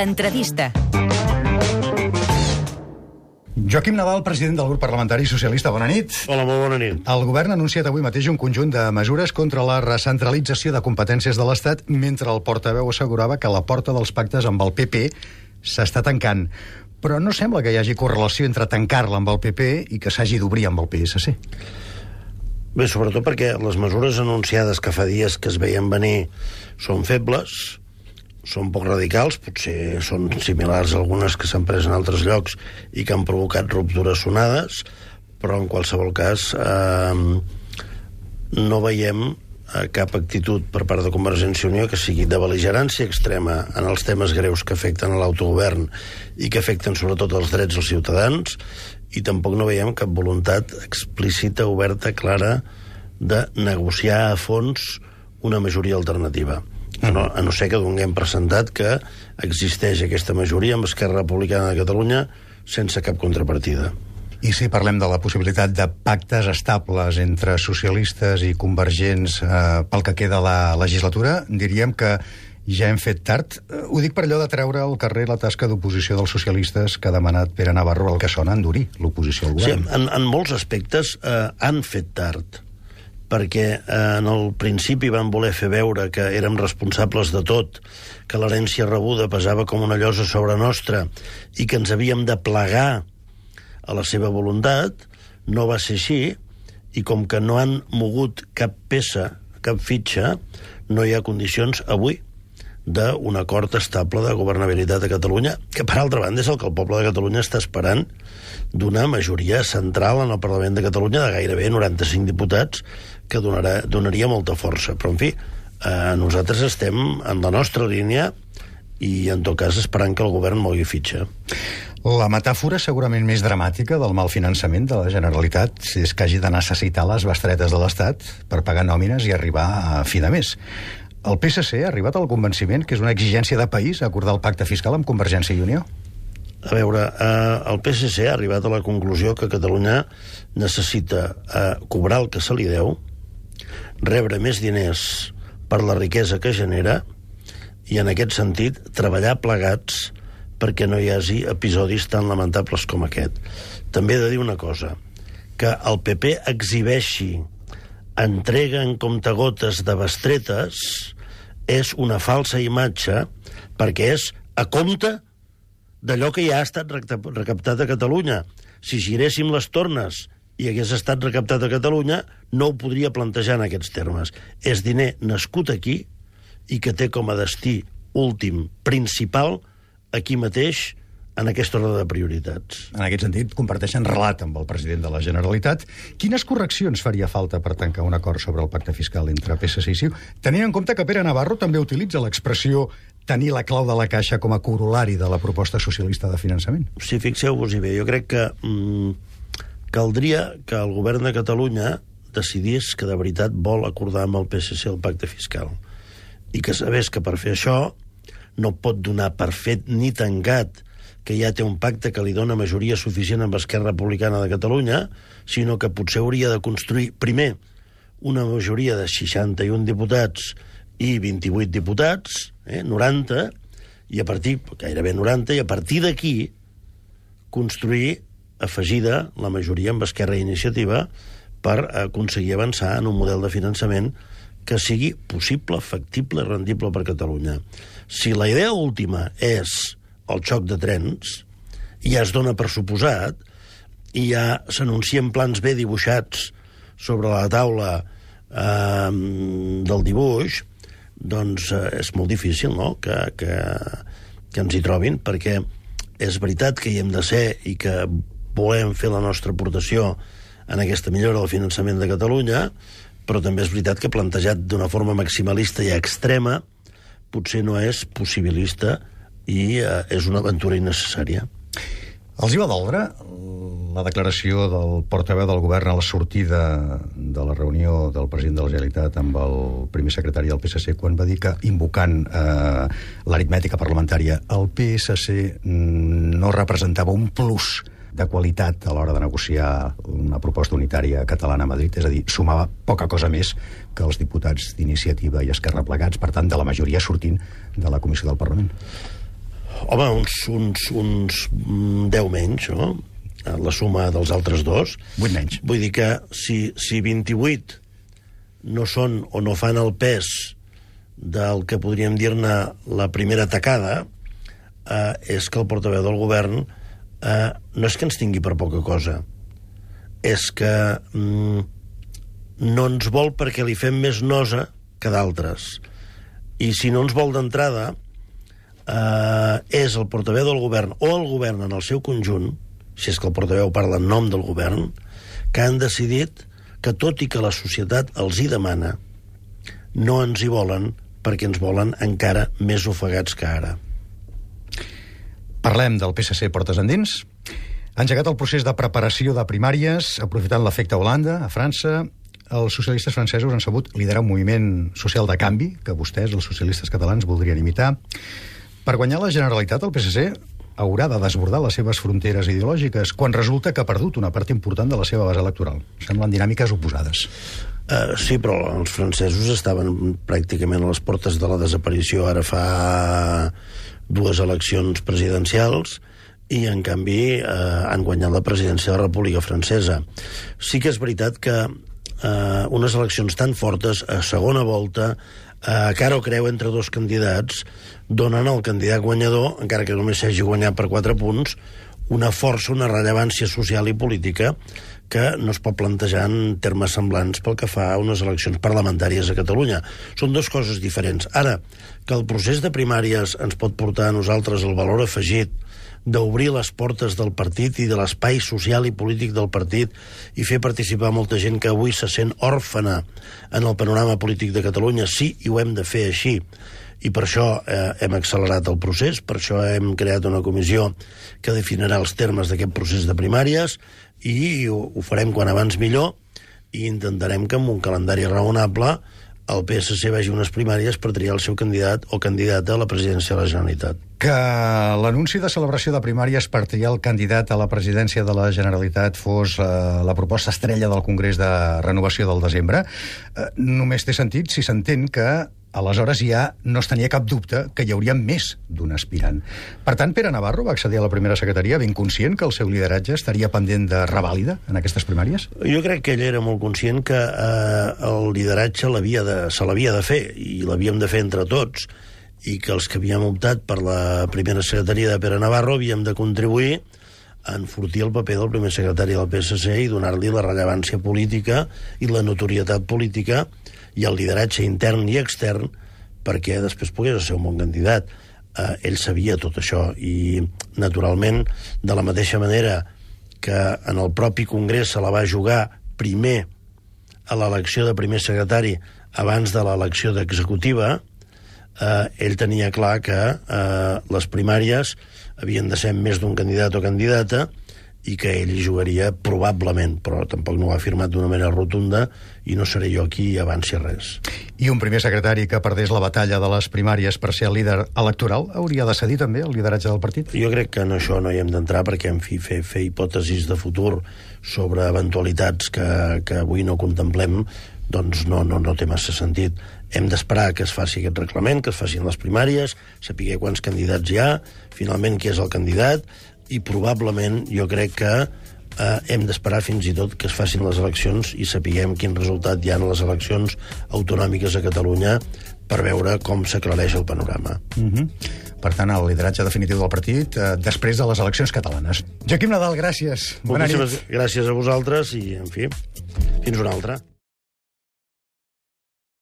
L'entrevista. Joaquim Nadal, president del grup parlamentari socialista, bona nit. Hola, molt bona nit. El govern ha anunciat avui mateix un conjunt de mesures contra la recentralització de competències de l'Estat, mentre el portaveu assegurava que la porta dels pactes amb el PP s'està tancant. Però no sembla que hi hagi correlació entre tancar-la amb el PP i que s'hagi d'obrir amb el PSC. Bé, sobretot perquè les mesures anunciades que fa dies que es veien venir són febles, són poc radicals, potser són similars a algunes que s'han pres en altres llocs i que han provocat ruptures sonades, però en qualsevol cas no veiem cap actitud per part de Convergència i Unió que sigui de bel·ligerància extrema en els temes greus que afecten l'autogovern i que afecten sobretot els drets dels ciutadans, i tampoc no veiem cap voluntat explícita, oberta, clara de negociar a fons una majoria alternativa. A no ser que donem per sentat que existeix aquesta majoria amb Esquerra Republicana de Catalunya sense cap contrapartida. I si parlem de la possibilitat de pactes estables entre socialistes i convergents pel que queda la legislatura, diríem que ja hem fet tard. Ho dic per allò de treure al carrer la tasca d'oposició dels socialistes que ha demanat Pere Navarro, el que sona endurir l'oposició al govern. Sí, en molts aspectes han fet tard, perquè en el principi van voler fer veure que érem responsables de tot, que l'herència rebuda pesava com una llosa sobre nostra i que ens havíem de plegar a la seva voluntat. No va ser així, i com que no han mogut cap peça, cap fitxa, no hi ha condicions avui d'un acord estable de governabilitat a Catalunya, que per altra banda és el que el poble de Catalunya està esperant, d'una majoria central en el Parlament de Catalunya de gairebé 95 diputats, que donaria molta força. Però, en fi, nosaltres estem en la nostra línia i, en tot cas, esperant que el govern mogui fitxa. La metàfora segurament més dramàtica del mal finançament de la Generalitat és que hagi de necessitar les bestretes de l'Estat per pagar nòmines i arribar a fi de mes. El PSC ha arribat al convenciment que és una exigència de país acordar el pacte fiscal amb Convergència i Unió? A veure, el PSC ha arribat a la conclusió que Catalunya necessita cobrar el que se li deu, rebre més diners per la riquesa que genera i, en aquest sentit, treballar plegats perquè no hi hagi episodis tan lamentables com aquest. També he de dir una cosa, que el PP exhibeixi entrega en comptagotes de bestretes és una falsa imatge, perquè és a compte d'allò que ja ha estat recaptat a Catalunya. Si giréssim les tornes i hagués estat recaptat a Catalunya, no ho podria plantejar en aquests termes. És diner nascut aquí i que té com a destí últim, principal, aquí mateix, en aquest ordre de prioritats. En aquest sentit, comparteixen relat amb el president de la Generalitat. Quines correccions faria falta per tancar un acord sobre el pacte fiscal entre PSC i CiU? Tenint en compte que Pere Navarro també utilitza l'expressió tenir la clau de la caixa com a corolari de la proposta socialista de finançament. Sí, fixeu-vos-hi bé. Jo crec que caldria que el govern de Catalunya decidís que de veritat vol acordar amb el PSC el pacte fiscal. I que sabés que per fer això no pot donar per fet ni tancat que ja té un pacte que li dona majoria suficient amb Esquerra Republicana de Catalunya, sinó que potser hauria de construir, primer, una majoria de 61 diputats i 28 diputats, 90, i a partir, gairebé 90, i a partir d'aquí construir afegida la majoria amb Esquerra i Iniciativa per aconseguir avançar en un model de finançament que sigui possible, factible i rendible per Catalunya. Si la idea última és el xoc de trens, i ja es dona per suposat, i ja s'anuncien plans ben dibuixats sobre la taula del dibuix, doncs és molt difícil, no?, que ens hi trobin, perquè és veritat que hi hem de ser i que volem fer la nostra aportació en aquesta millora del finançament de Catalunya, però també és veritat que plantejat d'una forma maximalista i extrema potser no és possibilista i és una aventura innecessària. Els hi va doldre la declaració del portaveu del govern a la sortida de la reunió del president de la Generalitat amb el primer secretari del PSC quan va dir que, invocant l'aritmètica parlamentària, el PSC no representava un plus de qualitat a l'hora de negociar una proposta unitària catalana a Madrid, és a dir, sumava poca cosa més que els diputats d'Iniciativa i Esquerra plegats, per tant, de la majoria sortint de la Comissió del Parlament. Home, uns 10 menys, no? La suma dels altres dos. 8 menys. Vull dir que si 28 no són o no fan el pes del que podríem dir-ne la primera tacada, és que el portaveu del govern no és que ens tingui per poca cosa, és que no ens vol perquè li fem més nosa que d'altres. I si no ens vol d'entrada, és el portaveu del govern o el govern en el seu conjunt, si és que el portaveu parla en nom del govern, que han decidit que tot i que la societat els hi demana, no ens hi volen perquè ens volen encara més ofegats que ara. Parlem del PSC portes endins. Ha engegat el procés de preparació de primàries, aprofitant l'efecte Holanda, a França. Els socialistes francesos han sabut liderar un moviment social de canvi que vostès, els socialistes catalans, voldrien imitar. Per guanyar la Generalitat, el PSC haurà de desbordar les seves fronteres ideològiques quan resulta que ha perdut una part important de la seva base electoral. Semblen dinàmiques oposades. Sí, però els francesos estaven pràcticament a les portes de la desaparició ara fa 2 eleccions presidencials i, en canvi, han guanyat la presidència de la República Francesa. Sí que és veritat que unes eleccions tan fortes, a segona volta, cara o creu entre 2 candidats, donen al candidat guanyador, encara que només s'hagi guanyat per 4 punts, una força, una rellevància social i política que no es pot plantejar en termes semblants pel que fa a unes eleccions parlamentàries a Catalunya. Són 2 coses diferents. Ara, que el procés de primàries ens pot portar a nosaltres el valor afegit d'obrir les portes del partit i de l'espai social i polític del partit i fer participar molta gent que avui se sent òrfana en el panorama polític de Catalunya, sí, i ho hem de fer així. I per això hem accelerat el procés, per això hem creat una comissió que definirà els termes d'aquest procés de primàries i ho farem quan abans millor i intentarem que amb un calendari raonable el PSC vagi a unes primàries per triar el seu candidat o candidata a la presidència de la Generalitat. Que l'anunci de celebració de primàries per triar el candidat a la presidència de la Generalitat fos la proposta estrella del Congrés de Renovació del desembre, només té sentit si s'entén que aleshores ja no es tenia cap dubte que hi hauria més d'un aspirant. Per tant, Pere Navarro va accedir a la primera secretaria ben conscient que el seu lideratge estaria pendent de revàlida en aquestes primàries? Jo crec que ell era molt conscient que el lideratge se l'havia de fer, i l'havíem de fer entre tots, i que els que havíem optat per la primera secretaria de Pere Navarro havíem de contribuir a enfortir el paper del primer secretari del PSC i donar-li la rellevància política i la notorietat política i el lideratge intern i extern perquè després pogués ser un bon candidat. Ell sabia tot això i, naturalment, de la mateixa manera que en el propi Congrés se la va jugar primer a l'elecció de primer secretari abans de l'elecció d'executiva, ell tenia clar que les primàries havien de ser més d'un candidat o candidata i que ell hi jugaria probablement, però tampoc no ho ha afirmat d'una manera rotunda i no seré jo aquí i avanci res. I un primer secretari que perdés la batalla de les primàries per ser el líder electoral hauria de cedir també el lideratge del partit? Jo crec que en això no hi hem d'entrar perquè, en fi, fer hipòtesis de futur sobre eventualitats que avui no contemplem doncs no té massa sentit. Hem d'esperar que es faci aquest reglament, que es facin les primàries, saber quants candidats hi ha, finalment qui és el candidat, i probablement jo crec que hem d'esperar fins i tot que es facin les eleccions i sapiguem quin resultat hi ha en les eleccions autonòmiques a Catalunya per veure com s'aclareix el panorama. Per tant, el lideratge definitiu del partit després de les eleccions catalanes. Joaquim Nadal, gràcies. Moltíssimes gràcies a vosaltres i, en fi, fins una altra.